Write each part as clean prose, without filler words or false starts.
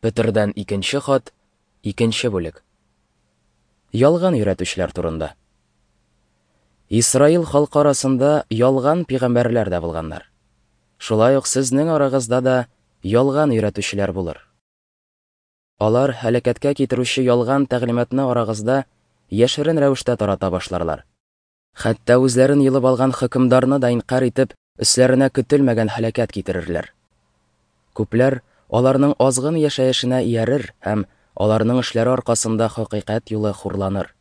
Петердән икенче хат, икенче бүлек. Ялган өйрәтүчеләр турында. Исраил халкы арасында ялган пигамбәрләр дә булганнар. Шулай ук сезнең арагызда да ялган өйрәтүчеләр булыр. Алар һәлакәткә китерүче ялган тәгълиматны арагызда яшерен рәвештә тарата башларлар. Хәтта үзләрен йолып алган хөкемдарны да инкарь итеп, өсләренә көтелмәгән һәлакәт китерерләр. Күпләр аларның азгын яшәешенә иярер һәм аларның эшләре аркасында хакыйкать юлы хурланыр.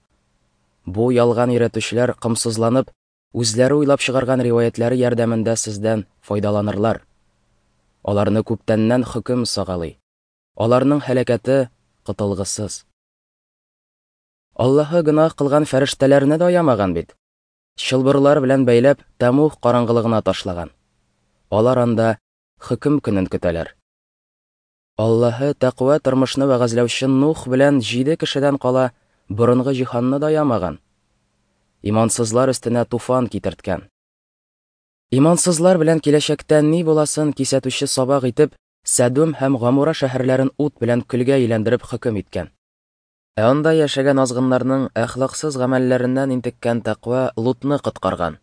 Бу ялган өйрәтүчеләр комсызланып, үзләре уйлап чыгарган риваятьләре ярдәмендә сездән файдаланырлар. Аларны күптәннән хөкем сагалый. Аларның һәлакәте котылгысыз. Аллаһы гөнаһ кылган фәрештәләрне дә аямаган бит. Чылбырлар белән бәйләп, тәмуг караңгылыгына ташлаган. Алар анда хөкем көнен көтәләр. Аллаһы тәкъва тормышны вәгазьләүче Нух белән җиде кешедән кала борынгы җиһанны да аямаган. Имансызлар өстенә туфан китерткән. Имансызлар белән киләчәктә ни буласын кисәтүче сабак итеп, Сәдүм һәм Гамура шәһәрләрен ут белән көлгә әйләндереп хөкем иткән. Ә анда яшәгән азгыннарның әхлаксыз гамәлләреннән интеккән тәкъва Лутны коткарган.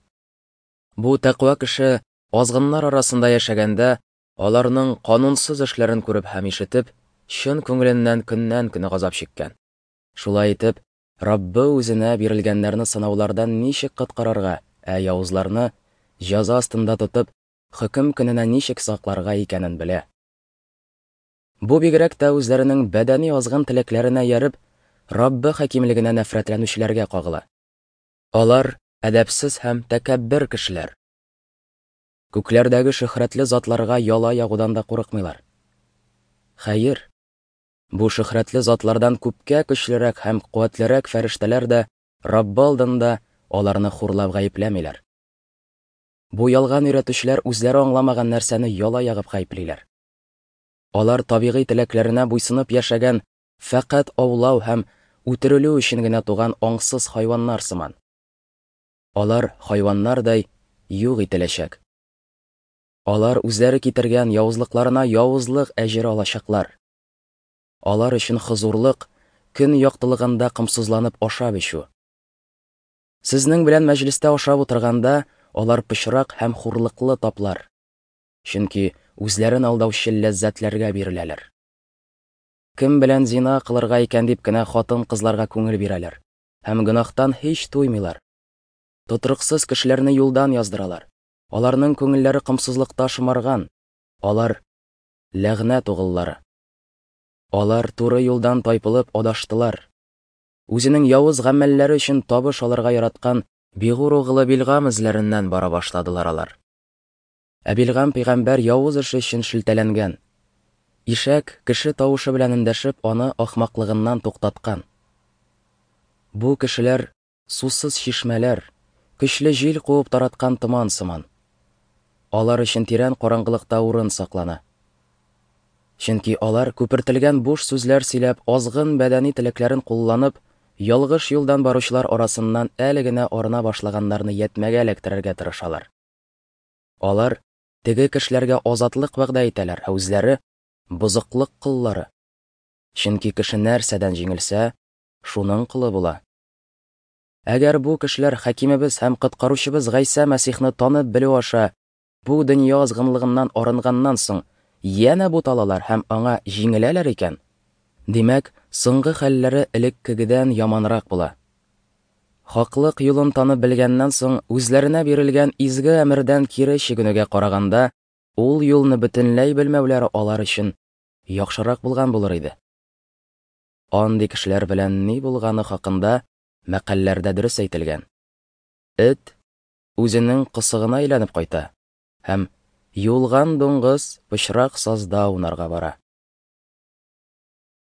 Бу тәкъва кеше азгыннар арасында яшәгәндә, аларның канунсыз эшләрен күреп һәм ишетеп, чын күңеленнән көннән-көн газап чиккән. Шулай итеп, Раббы үзенә бирелгәннәрне сынаулардан ничек коткарырга, ә явызларны, җәза астында тотып, хөкем көненә ничек сакларга икәнен белә. Бу бигрәк тә үзләренең бәдәни азгын теләкләренә ияреп, Раббы хакимлегенә нәфрәтләнүчеләргә кагыла. Алар әдәпсез һәм тәкәббер кешеләр. Күкләрдәге шөһрәтле затларга яла ягудан да курыкмыйлар. Хәер, бу шөһрәтле затлардан күпкә көчлерәк һәм куәтлерәк фәрештәләр дә Раббы алдында аларны хурлап гаепләмиләр. Бу ялган өйрәтүчеләр үзләре аңламаган нәрсәне яла ягып гаеплиләр. Алар табигый теләкләренә буйсынып яшәгән, фәкать аулау һәм үтерелү өчен генә туган аңсыз хайваннар сыман. Алар хайваннардай юк ителәчәк. Алар үзләре китергән явызлыкларына явызлык әҗере алачаклар. Алар өчен хозурлык, көн яктылыгында комсызланып ашап эчү. Сезнең белән мәҗлестә ашап утырганда, алар пычрак һәм хурлыклы таплар. Чөнки үзләрен алдаучы ләззәтләргә биреләләр. Кем белән зина кылырга икән дип кенә хатын-кызларга күңел бирәләр һәм гөнаһтан һич туймыйлар. Тотрыксыз кешеләрне юлдан яздыралар. Аларның күңелләре комсызлыкта шомарган. Алар ләгънәт угыллары. Алар туры юлдан тайпылып адаштылар. Үзенең явыз гамәлләре өчен табыш алырга яраткан Бигур угылы Билгам эзләреннән бара башладылар алар. Ә Билгам пәйгамбәр явыз эше өчен шелтәләнгән. Ишәк, кеше тавышы белән эндәшеп, аны ахмаклыгыннан туктаткан. Бу кешеләр сусыз чишмәләр, көчле җил куып тараткан томан сыман. Алар өчен тирән караңгылыкта урын саклана. Чөнки алар күпертелгән буш сүзләр сөйләп, азгын бәдәни теләкләрен кулланып, ялгыш юлдан баручылар арасыннан әле генә арына башлаганнарны ятьмәгә эләктерергә тырышалар. Алар теге кешеләргә азатлык вәгъдә итәләр, ә үзләре бозыклык коллары. Чөнки кеше нәрсәдән җиңелсә, шуның колы була. Әгәр бу кешеләр хакимебез һәм коткаручыбыз Гайсә Мәсихны танып белү аша бу дөнья азгынлыгыннан арынганнан соң янә буталалар һәм аңа җиңеләләр икән, димәк, соңгы хәлләре элеккегедән яманрак була. Хаклык юлын танып белгәннән соң, үзләренә бирелгән изге әмердән кире чигенүгә караганда, ул юлны бөтенләй белмәүләре алар өчен яхшырак булган булыр иде. Андый кешеләр белән ни булганы хакында мәкальләрдә дөрес әйтелгән. Эт үзенең кысыгына әйләнеп кайта һәм юылган дуңгыз пычрак сазда аунарга бара.